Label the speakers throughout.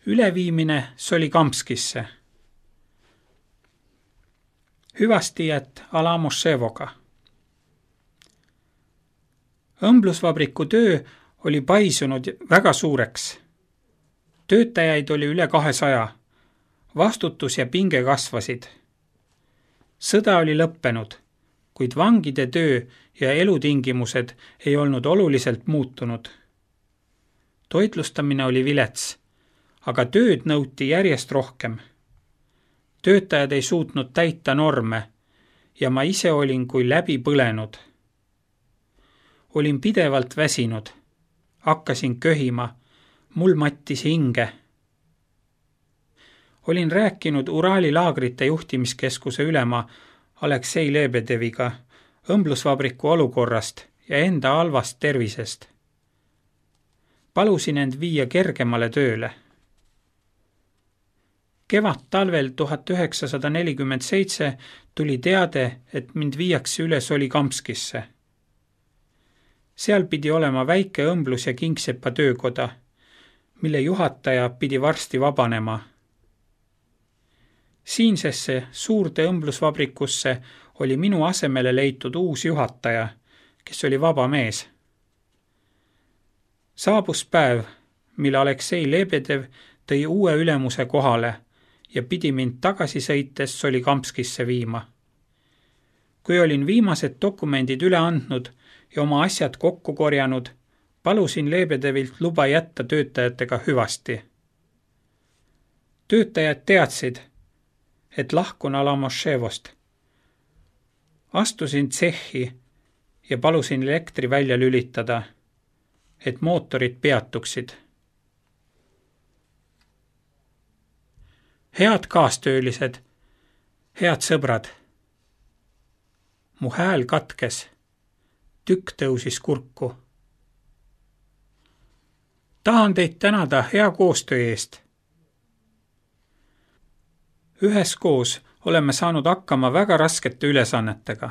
Speaker 1: üleviimine Solikamskisse. Hüvastijät Alamoševoga. Õmblusvabriku töö oli paisunud väga suureks. Töötajaid oli üle 200. Vastutus ja pinge kasvasid. Sõda oli lõppenud, kuid vangide töö ja elutingimused ei olnud oluliselt muutunud. Toitlustamine oli vilets, aga tööd nõuti järjest rohkem. Töötajad ei suutnud täita norme ja ma ise olin kui läbi põlenud. Olin pidevalt väsinud, hakkasin köhima, mul mattis hinge. Olin rääkinud Uraali laagrite juhtimiskeskuse ülema Aleksei Lebedeviga õmblusvabriku olukorrast ja enda halvast tervisest. Palusin end viia kergemale tööle. Kevad-talvel 1947 tuli teade, et mind viiakse üle Solikamskisse. Seal pidi olema väike õmblus- ja kingsepa töökoda, mille juhataja pidi varsti vabanema. Siinsesse suurde õmblusvabrikusse oli minu asemele leitud uus juhataja, kes oli vaba mees. Saabus päev, mille Aleksei Lebedev tõi uue ülemuse kohale ja pidi mind tagasi sõites Solikamskisse viima. Kui olin viimased dokumendid üle andnud ja oma asjad kokku korjanud, palusin Lebedevilt luba jätta töötajatega hüvasti. Töötajad teadsid, et lahkun Alamoševost. Astusin tsehhi ja palusin elektri välja lülitada, et mootorid peatuksid. Head kaastöölised, head sõbrad. Mu hääl katkes, tükk tõusis kurku. Tahan teid tänada hea koostöö eest. Üheskoos oleme saanud hakkama väga raskete ülesannetega.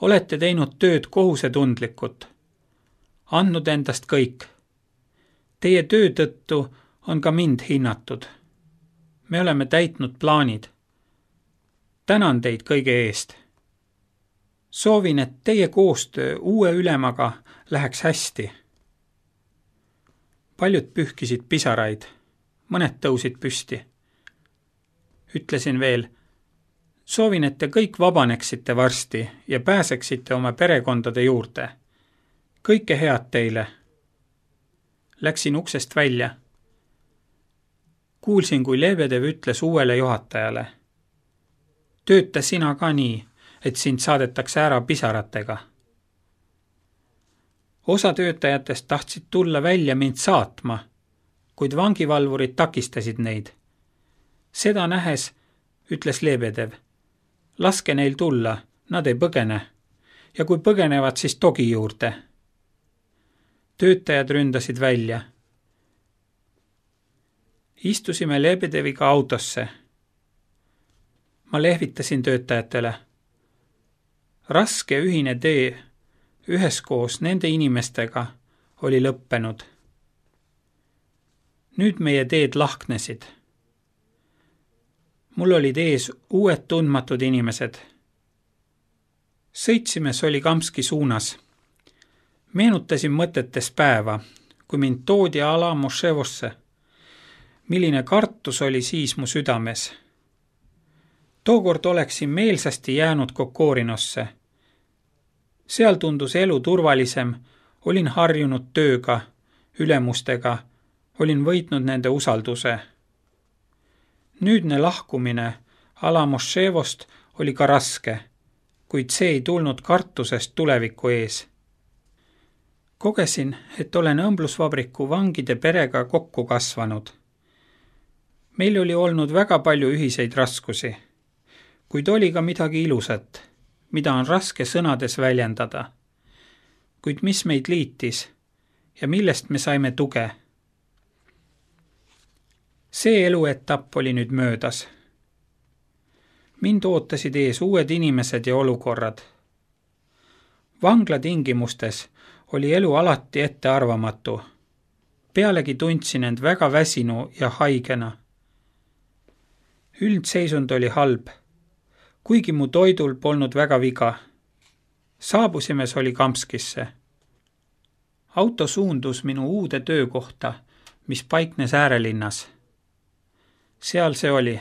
Speaker 1: Olete teinud tööd kohusetundlikult, andnud endast kõik. Teie töö tõttu on ka mind hinnatud. Me oleme täitnud plaanid. Tänan teid kõige eest. Soovin, et teie koostöö uue ülemaga läheks hästi. Paljud pühkisid pisaraid, mõned tõusid püsti. Ütlesin veel, soovin, et te kõik vabaneksite varsti ja pääseksite oma perekondade juurde. Kõike head teile. Läksin uksest välja. Kuulsin, kui Lebedev ütles uuele juhatajale. Tööta sina ka nii, et sind saadetakse ära pisaratega. Osa töötajatest tahtsid tulla välja mind saatma, kuid vangivalvurid takistasid neid. Seda nähes, ütles Lebedev, laske neil tulla, nad ei põgene, ja kui põgenevad, siis togi juurde. Töötajad ründasid välja. Istusime Lebedeviga autosse. Ma lehvitasin töötajatele. Raske ühine tee üheskoos nende inimestega oli lõppenud. Nüüd meie teed lahknesid. Mul olid ees uued tundmatud inimesed. Sõitsime Solikamski suunas. Meenutasin mõtetes päeva, kui mind toodi Alamoševosse. Milline kartus oli siis mu südames. Tookord oleksin meelsasti jäänud Kokorinosse. Seal tundus elu turvalisem, olin harjunud tööga, ülemustega, olin võitnud nende usalduse. Nüüdne lahkumine Alamoševost oli ka raske, kuid see ei tulnud kartusest tuleviku ees. Kogesin, et olen õmblusvabriku vangide perega kokku kasvanud. Meil oli olnud väga palju ühiseid raskusi, kuid oli ka midagi ilusat, mida on raske sõnades väljendada. Kuid mis meid liitis ja millest me saime tuge? See eluetapp oli nüüd möödas. Mind ootasid ees uued inimesed ja olukorrad. Vangla tingimustes oli elu alati ettearvamatu. Pealegi tundsin end väga väsinu ja haigena. Üldseisund oli halb, kuigi mu toidul polnud väga viga. Saabusime Solikamskisse. Auto suundus minu uude töökohta, mis paiknes äärelinnas. Seal see oli.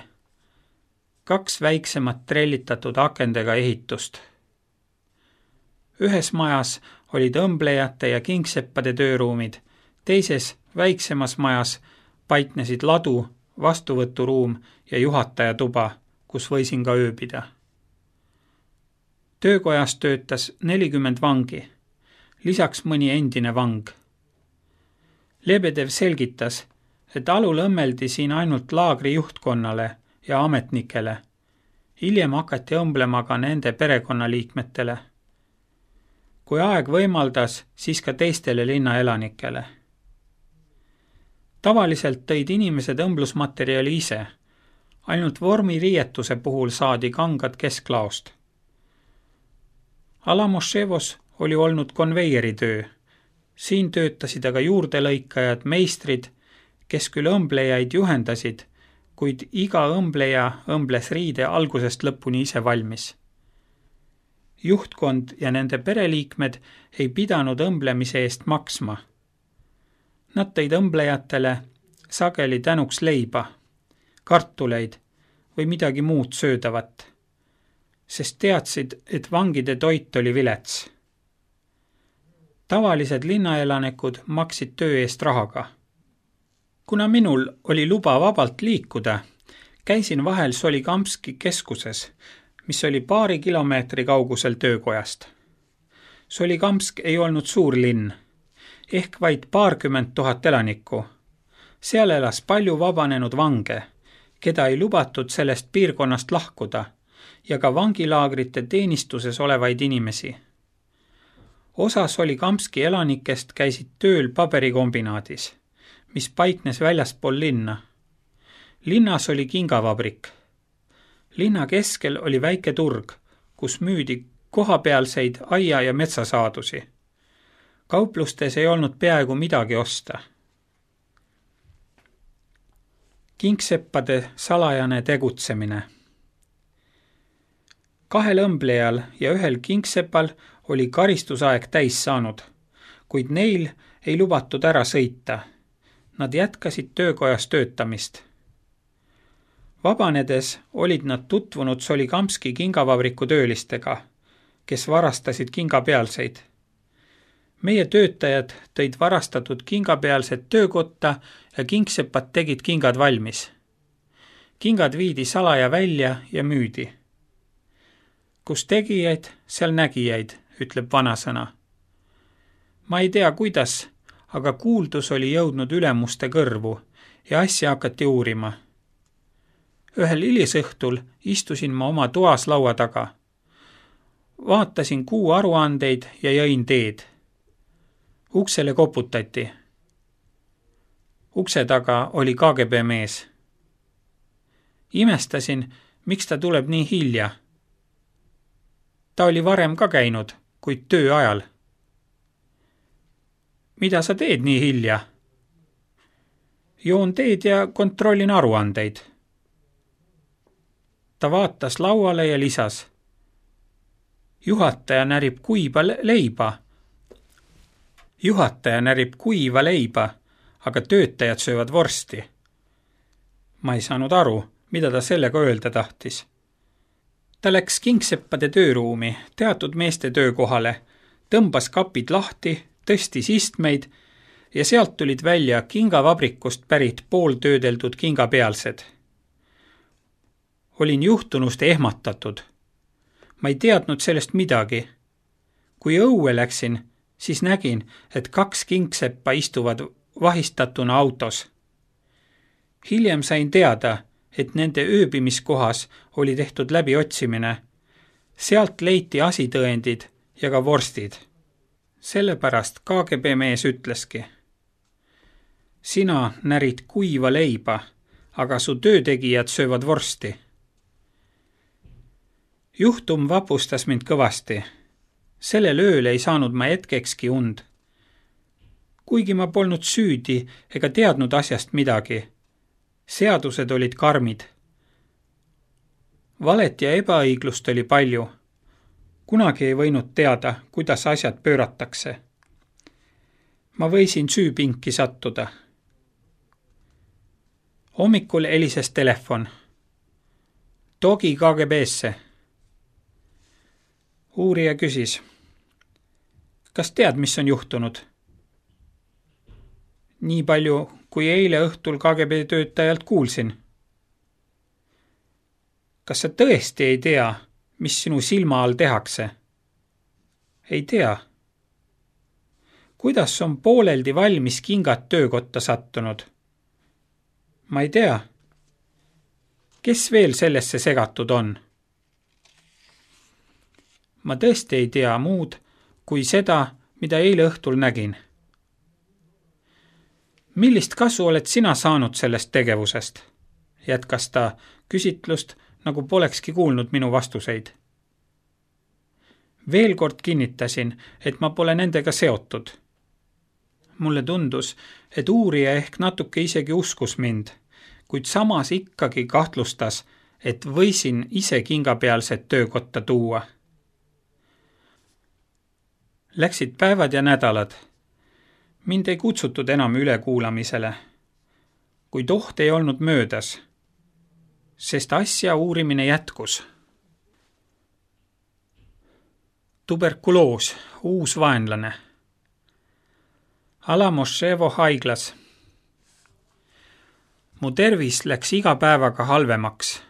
Speaker 1: 2 väiksemat trellitatud akendega ehitust. Ühes majas olid õmblejate ja kingseppade tööruumid, teises väiksemas majas paiknesid ladu, vastuvõturuum ja juhataja tuba, kus võisin ka ööbida. Töökojas töötas 40 vangi, lisaks mõni endine vang. Lebedev selgitas, et alul õmmeldi siin ainult laagri juhtkonnale ja ametnikele. Hiljem hakati õmblema ka nende perekonnaliikmetele. Kui aeg võimaldas, siis ka teistele linnaelanikele. Tavaliselt tõid inimesed õmblusmaterjali ise. Ainult vormiriietuse puhul saadi kangad kesklaost. Alamoševos oli olnud konveieritöö. Siin töötasid aga juurdelõikajad, meistrid, kes küll õmblejaid juhendasid, kuid iga õmbleja õmbles riide algusest lõpuni ise valmis. Juhtkond ja nende pereliikmed ei pidanud õmblemise eest maksma. Nad tõid õmblejatele sageli tänuks leiba, kartuleid või midagi muud söödavat, sest teadsid, et vangide toit oli vilets. Tavalised linnaelanikud maksid töö eest rahaga. Kuna minul oli luba vabalt liikuda, käisin vahel Solikamski keskuses, mis oli 2 kilomeetri kaugusel töökojast. Solikamsk ei olnud suur linn, ehk vaid 20 000 elanikku. Seal elas palju vabanenud vange, keda ei lubatud sellest piirkonnast lahkuda, ja ka vangilaagrite teenistuses olevaid inimesi. Osa Solikamski elanikest käisid tööl paberikombinaadis, mis paiknes väljaspool linna. Linnas oli kingavabrik. Linna keskel oli väike turg, kus müüdi kohapealseid aia- ja metsasaadusi. Kauplustes ei olnud peaaegu midagi osta. Kingseppade salajane tegutsemine. 2 õmblejal ja 1 kingsepal oli karistusaeg täis saanud, kuid neil ei lubatud ära sõita. Nad jätkasid töökojas töötamist. Vabanedes olid nad tutvunud Solikamski kingavabriku töölistega, kes varastasid kingapealseid. Meie töötajad tõid varastatud kingapealsed töökotta ja kingsepad tegid kingad valmis. Kingad viidi salaja välja ja müüdi. Kus tegijaid, seal nägijaid, ütleb vanasõna. Ma ei tea, kuidas, aga kuuldus oli jõudnud ülemuste kõrvu ja asja hakati uurima. Ühel hilisõhtul istusin ma oma toas laua taga. Vaatasin kuu aruandeid ja jõin teed. Uksele koputati. Ukse taga oli KGB mees. Imestasin, miks ta tuleb nii hilja. Ta oli varem ka käinud, kuid töö ajal. Mida sa teed nii hilja? Joon teed ja kontrollin aruandeid. Ta vaatas lauale ja lisas. Juhataja närib kuiva leiba, aga töötajad söövad vorsti. Ma ei saanud aru, mida ta sellega öelda tahtis. Ta läks kingseppade tööruumi, teatud meeste töökohale, tõmbas kapid lahti, tõstis istmeid ja sealt tulid välja kingavabrikust pärit pooltöödeldud kingapealsed. Olin juhtunust ehmatatud. Ma ei teadnud sellest midagi. Kui õue läksin, siis nägin, et 2 kingseppa istuvad vahistatuna autos. Hiljem sain teada, et nende ööbimiskohas oli tehtud läbiotsimine. Sealt leiti asitõendid ja ka vorstid. Sellepärast KGB mees ütleski. Sina närid kuiva leiba, aga su töötegijad söövad vorsti. Juhtum vapustas mind kõvasti. Sellel ööl ei saanud ma hetkekski und. kuigi ma polnud süüdi ega teadnud asjast midagi. Seadused olid karmid. Valet ja ebaõiglust oli palju. Kunagi ei võinud teada, kuidas asjad pööratakse. Ma võisin süüpinki sattuda. Hommikul helises telefon. Togi KGB-sse. Uurija küsis. Kas tead, mis on juhtunud? Nii palju, kui eile õhtul KGB töötajalt kuulsin. Kas sa tõesti ei tea, mis sinu silma all tehakse? Ei tea. Kuidas on pooleldi valmis kingad töökotta sattunud? Ma ei tea. Kes veel sellesse segatud on? Ma tõesti ei tea muud kui seda, mida eile õhtul nägin. Millist kasu oled sina saanud sellest tegevusest? Jätkas ta küsitlust, nagu polekski kuulnud minu vastuseid. Veel kord kinnitasin, et ma pole nendega seotud. Mulle tundus, et uurija ehk natuke isegi uskus mind, kuid samas ikkagi kahtlustas, et võisin ise kingapealset töökotta tuua. Läksid päevad ja nädalad. Mind ei kutsutud enam ülekuulamisele, kuid oht ei olnud möödas, sest asja uurimine jätkus. Tuberkuloos, uus vaenlane. Alamoševo haiglas. Mu tervis läks iga päevaga halvemaks.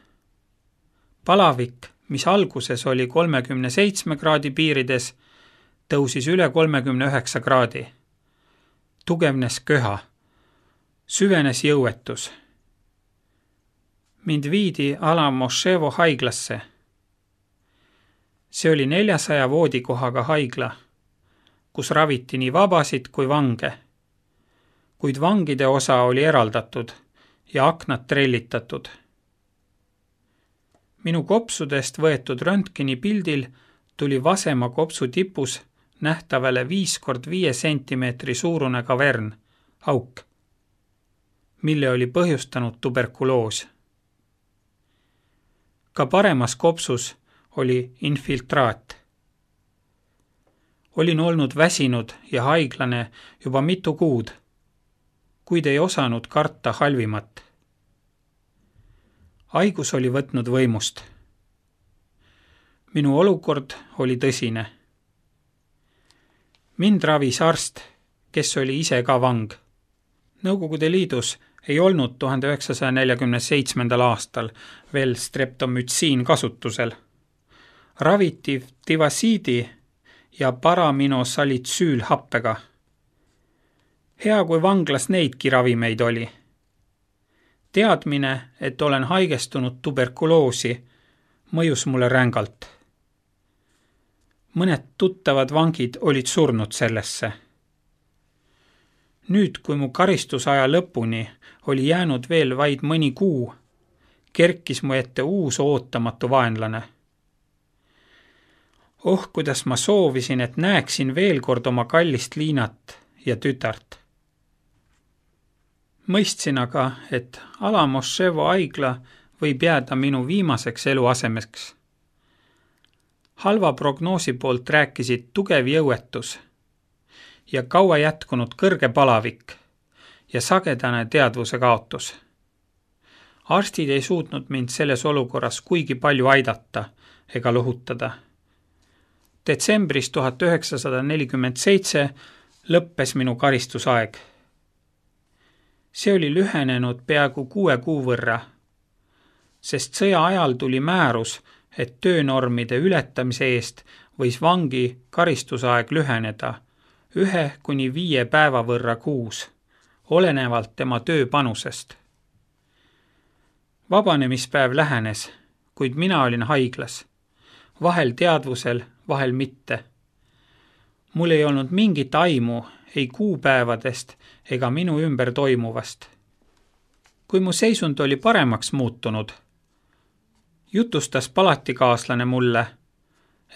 Speaker 1: Palavik, mis alguses oli 37 kraadi piirides, tõusis üle 39 kraadi. Tugevnes köha. Süvenes jõuetus. Mind viidi Alamoševo haiglasse. See oli 400 voodikohaga haigla, kus raviti nii vabasid kui vange. Kuid vangide osa oli eraldatud ja aknad trellitatud. Minu kopsudest võetud röntgeni pildil tuli vasema kopsu tipus nähtavale 5x5 sentimeetri suurune kavern, auk, mille oli põhjustanud tuberkuloos. Ka paremas kopsus oli infiltraat. Olin olnud väsinud ja haiglane juba mitu kuud, kuid ei osanud karta halvimat. Haigus oli võtnud võimust. Minu olukord oli tõsine. Mind ravis arst, kes oli ise ka vang. Nõukogude Liidus ei olnud 1947. aastal veel streptomütsiin kasutusel. Raviti tivasiidi ja paraminosalitsüülhappega. Hea, kui vanglas neidki ravimeid oli. Teadmine, et olen haigestunud tuberkuloosi, mõjus mulle rängalt. Mõned tuttavad vangid olid surnud sellesse. Nüüd, kui mu karistusaja lõpuni oli jäänud veel vaid mõni kuu, kerkis mu ette uus ootamatu vaenlane. Kuidas ma soovisin, et näeksin veel kord oma kallist Liinat ja tütart. Mõistsin aga, et Alamoševo haigla võib jääda minu viimaseks eluasemeks. Halva prognoosi poolt rääkisid tugev jõuetus ja kaua jätkunud kõrge palavik ja sagedane teadvuse kaotus. Arstid ei suutnud mind selles olukorras kuigi palju aidata ega lohutada. Detsembris 1947 lõppes minu karistusaeg. See oli lühenenud peaaegu 6 kuu võrra, sest sõja ajal tuli määrus, et töönormide ületamise eest võis vangi karistusaeg lüheneda 1–5 päeva võrra kuus, olenevalt tema tööpanusest. Vabanemispäev lähenes, kuid mina olin haiglas, vahel teadvusel, vahel mitte. Mul ei olnud mingit aimu ei kuupäevadest ega minu ümber toimuvast. Kui mu seisund oli paremaks muutunud, jutustas palatikaaslane mulle,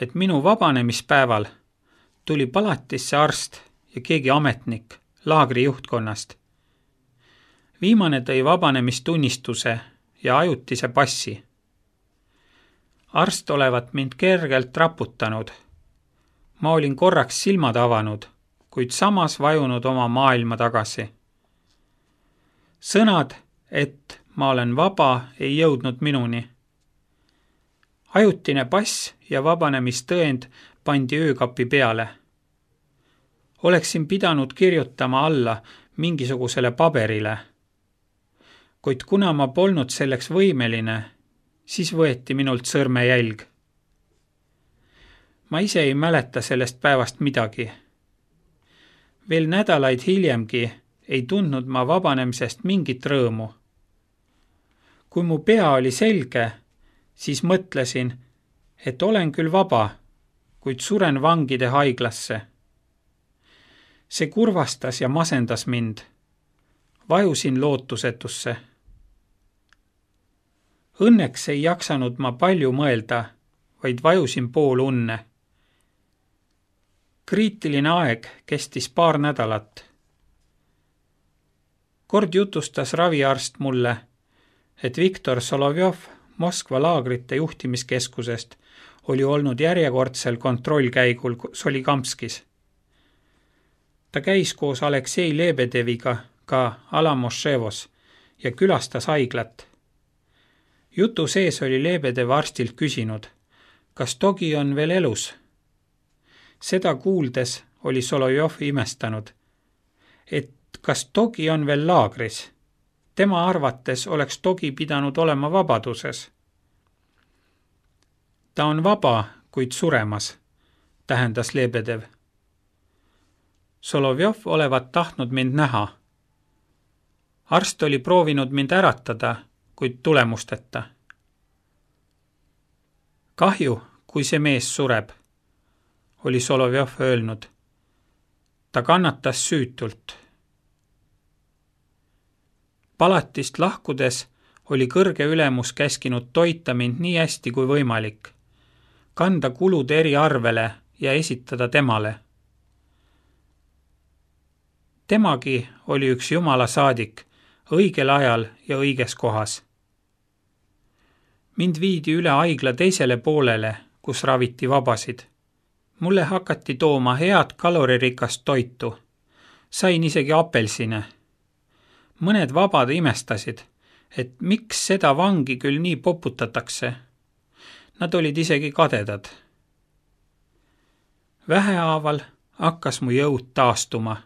Speaker 1: et minu vabanemispäeval tuli palatisse arst ja keegi ametnik laagri juhtkonnast. Viimane tõi vabanemistunnistuse ja ajutise passi. Arst olevat mind kergelt raputanud. Ma olin korraks silmad avanud, kuid samas vajunud oma maailma tagasi. Sõnad, et ma olen vaba, ei jõudnud minuni. Ajutine pass ja vabanemistõend pandi öökapi peale. Oleksin pidanud kirjutama alla mingisugusele paberile. Kuid kuna ma polnud selleks võimeline, siis võeti minult sõrmejälg. Ma ise ei mäleta sellest päevast midagi. Veel nädalaid hiljemgi ei tundnud ma vabanemisest mingit rõõmu. Kui mu pea oli selge, siis mõtlesin, et olen küll vaba, kuid suren vangide haiglasse. See kurvastas ja masendas mind. Vajusin lootusetusse. Õnneks ei jaksanud ma palju mõelda, vaid vajusin pool unne. Kriitiline aeg kestis paar nädalat. Kord jutustas raviarst mulle, et Viktor Solovjov Moskva laagrite juhtimiskeskusest oli olnud järjekordsel kontrollkäigul Solikamskis. Ta käis koos Aleksei Lebedeviga ka Alamoševos ja külastas haiglat. Jutu sees oli Lebedev arstilt küsinud, kas Togi on veel elus. Seda kuuldes oli Solovjov imestanud, et kas Togi on veel laagris. Tema arvates oleks Togi pidanud olema vabaduses. Ta on vaba, kuid suremas, tähendas Lebedev. Solovjov olevat tahtnud mind näha. Arst oli proovinud mind äratada, kuid tulemusteta. Kahju, kui see mees sureb, oli Solovjov öelnud. Ta kannatas süütult. Palatist lahkudes oli kõrge ülemus käskinud toita mind nii hästi kui võimalik, kanda kulud eriarvele ja esitada temale. Temagi oli üks Jumala saadik, õigel ajal ja õiges kohas. Mind viidi üle haigla teisele poolele, kus raviti vabasid. Mulle hakati tooma head kaloririkast toitu. Sain isegi apelsine. Mõned vabad imestasid, et miks seda vangi küll nii poputatakse. Nad olid isegi kadedad. Vähehaaval hakkas mu jõud taastuma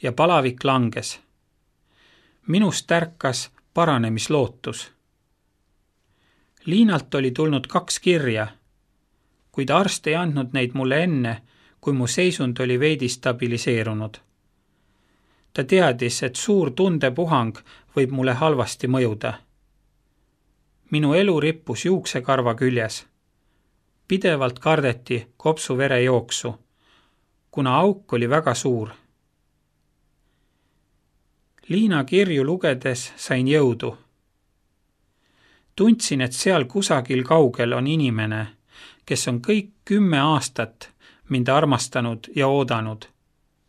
Speaker 1: ja palavik langes. Minust ärkas paránemislootus. Liinalt oli tulnud 2 kirja, kuid arst ei andnud neid mulle enne, kui mu seisund oli veidi stabiliseerunud. Ta teadis, et suur tundepuhang võib mulle halvasti mõjuda. Minu elu rippus juuksekarva küljes. Pidevalt kardeti kopsu verejooksu, kuna auk oli väga suur. Liina kirju lugedes sain jõudu. Tundsin, et seal kusagil kaugel on inimene, kes on kõik 10 aastat mind armastanud ja oodanud,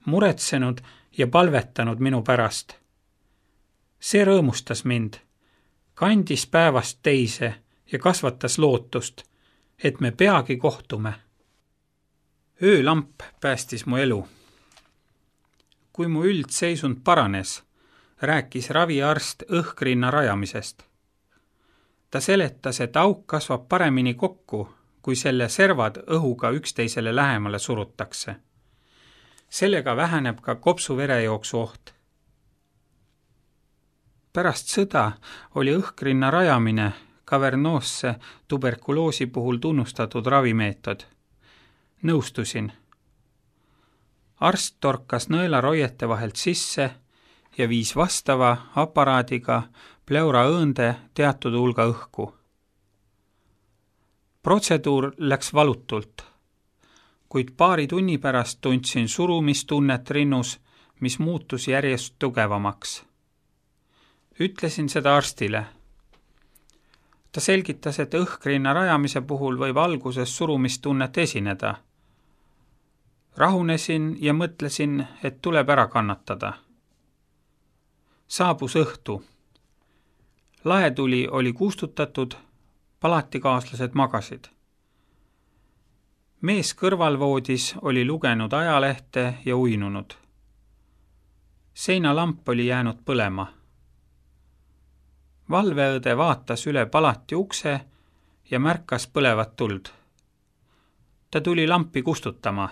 Speaker 1: muretsenud ja palvetanud minu pärast. See rõõmustas mind, kandis päevast teise ja kasvatas lootust, et me peagi kohtume. Öölamp päästis mu elu. Kui mu üldseisund paranes, rääkis raviarst õhkrinna rajamisest. Ta seletas, et auk kasvab paremini kokku, kui selle servad õhuga üksteisele lähemale surutakse. Sellega väheneb ka kopsu verejooksu oht. Pärast sõda oli õhkrinna rajamine kavernoosse tuberkuloosi puhul tunnustatud ravimeetod. Nõustusin. Arst torkas nõelaroiete vahelt sisse ja viis vastava aparaadiga pleuraõõnde teatud hulga õhku. Protseduur läks valutult, kuid paari tunni pärast tundsin surumistunnet rinnus, mis muutus järjest tugevamaks. Ütlesin seda arstile. Ta selgitas, et õhkrinna rajamise puhul võib alguses surumistunnet esineda. Rahunesin ja mõtlesin, et tuleb ära kannatada. Saabus õhtu. Laetuli oli kustutatud, palatikaaslased magasid. Mees kõrvalvoodis oli lugenud ajalehte ja uinunud. Seinalamp oli jäänud põlema. Valveõde vaatas üle palati ukse ja märkas põlevat tuld. Ta tuli lampi kustutama.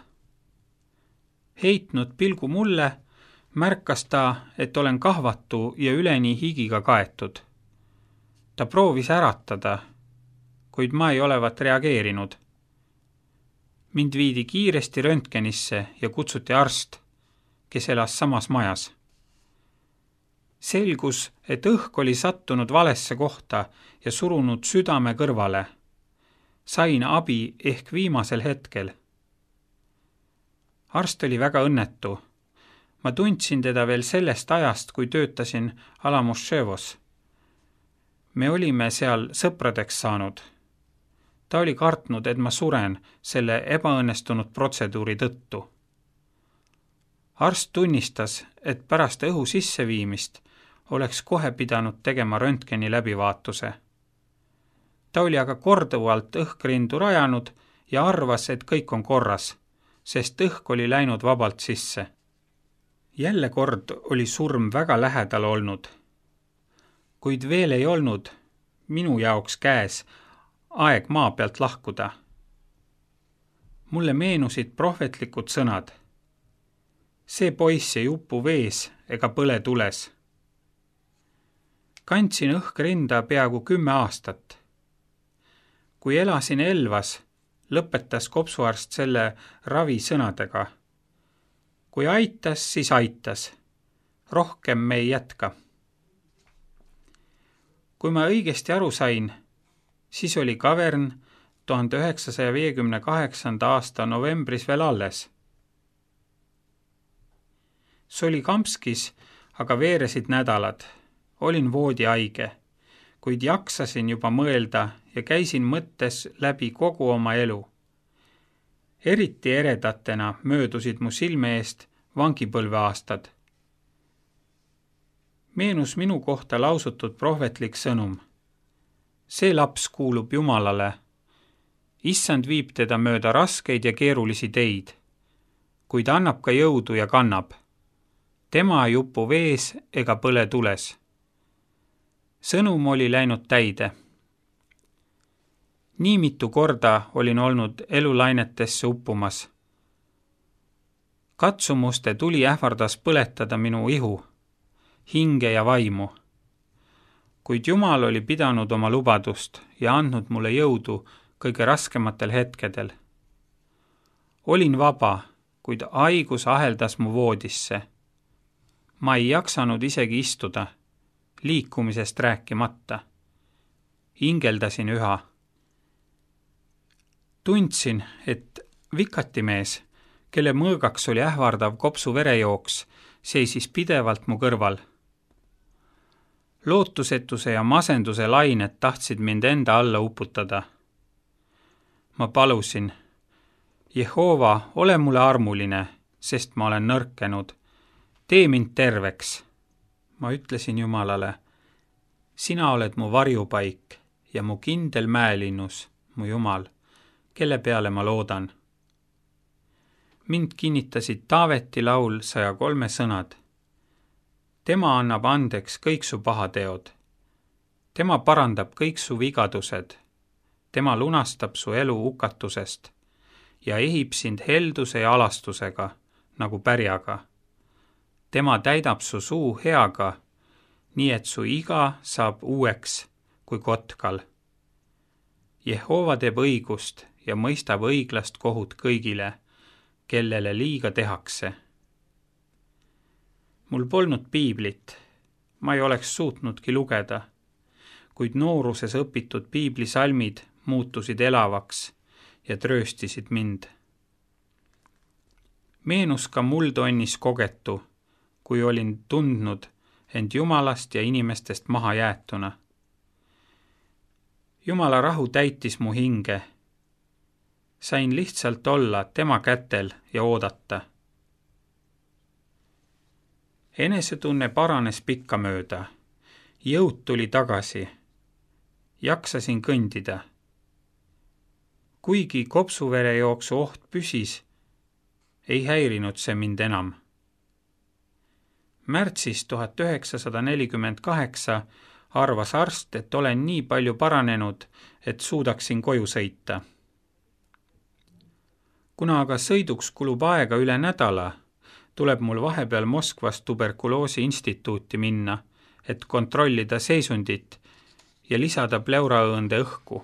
Speaker 1: Heitnud pilgu mulle, märkas ta, et olen kahvatu ja üleni higiga kaetud. Ta proovis äratada, kuid ma ei olevat reageerinud. Mind viidi kiiresti röntgenisse ja kutsuti arst, kes elas samas majas. Selgus, et õhk oli sattunud valesse kohta ja surunud südame kõrvale. Sain abi ehk viimasel hetkel. Arst oli väga õnnetu. Ma tundsin teda veel sellest ajast, kui töötasin Alamoševos. Me olime seal sõpradeks saanud. Ta oli kartnud, et ma suren selle ebaõnnestunud protseduuri tõttu. Arst tunnistas, et pärast õhu sisseviimist oleks kohe pidanud tegema röntgeni läbivaatuse. Ta oli aga korduvalt õhkrindu rajanud ja arvas, et kõik on korras, sest õhk oli läinud vabalt sisse. Jälle kord oli surm väga lähedal olnud, kuid veel ei olnud minu jaoks käes aeg maa pealt lahkuda. Mulle meenusid prohvetlikud sõnad. See poiss ei upu vees ega põle tules. Kandsin õhkrinda peaaegu 10 aastat. Kui elasin Elvas, lõpetas kopsuarst selle ravi sõnadega. Kui aitas, siis aitas. Rohkem me ei jätka. Kui ma õigesti aru sain, siis oli kavern 1958. aasta novembris veel alles. Solikamskis aga veeresid nädalad. Olin voodihaige, kuid jaksasin juba mõelda ja käisin mõttes läbi kogu oma elu. Eriti eredatena möödusid mu silme eest vangipõlveaastad. Meenus minu kohta lausutud prohvetlik sõnum. See laps kuulub Jumalale. Issand viib teda mööda raskeid ja keerulisi teid, kuid annab ka jõudu ja kannab. Tema ei upu vees ega põle tules. Sõnum oli läinud täide. Nii mitu korda olin olnud elulainetesse uppumas. Katsumuste tuli ähvardas põletada minu ihu, hinge ja vaimu. Kuid Jumal oli pidanud oma lubadust ja andnud mulle jõudu kõige raskematel hetkedel. Olin vaba, kuid haigus aheldas mu voodisse. Ma ei jaksanud isegi istuda, liikumisest rääkimata. Hingeldasin üha. Tundsin, et vikatimees, kelle mõõgaks oli ähvardav kopsu verejooks, seisis pidevalt mu kõrval. Lootusetuse ja masenduse lained tahtsid mind enda alla uputada. Ma palusin, Jehova, ole mulle armuline, sest ma olen nõrkenud. Tee mind terveks. Ma ütlesin Jumalale, sina oled mu varjupaik ja mu kindel mäelinnus, mu Jumal, kelle peale ma loodan. Mind kinnitasid Taaveti laul 103 sõnad. Tema annab andeks kõik su pahateod. Tema parandab kõik su vigadused. Tema lunastab su elu hukatusest ja ehib sind helduse ja alastusega, nagu pärjaga. Tema täidab su suu heaga, nii et su iga saab uueks kui kotkal. Jehova teeb õigust ja mõistab õiglast kohut kõigile, kellele liiga tehakse. Mul polnud piiblit, ma ei oleks suutnudki lugeda, kuid nooruses õpitud piiblisalmid muutusid elavaks ja trööstisid mind. Meenus ka multonnis kogetu, kui olin tundnud end Jumalast ja inimestest maha jäetuna. Jumala rahu täitis mu hinge. Sain lihtsalt olla tema kätel ja oodata. Enesetunne paranes pikkamööda. Jõud tuli tagasi. Jaksasin kõndida. Kuigi kopsuverejooksu oht püsis, ei häirinud see mind enam. Märtsis 1948 arvas arst, et olen nii palju paranenud, et suudaksin koju sõita. Kuna aga sõiduks kulub aega üle nädala, tuleb mul vahepeal Moskvas tuberkuloosi instituuti minna, et kontrollida seisundit ja lisada pleuraõõnde õhku.